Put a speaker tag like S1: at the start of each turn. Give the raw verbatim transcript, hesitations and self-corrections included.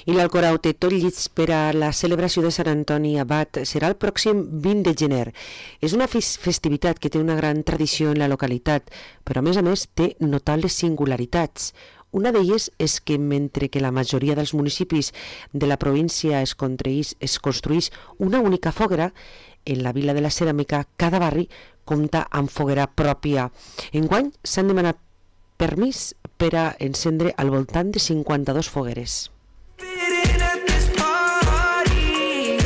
S1: I l'Alcorau té tot llits per a la celebració de Sant Antoni Abat. Serà el pròxim vint de gener. És una festivitat que té una gran tradició en la localitat, però a més a més té notables singularitats. Una d'elles és que mentre que la majoria dels municipis de la província es construeix, es construeix una única foguera, en la Vila de la Ceràmica cada barri compta amb foguera pròpia. Enguany s'han demanat permís per a encendre al voltant de cinquanta-dues fogueres.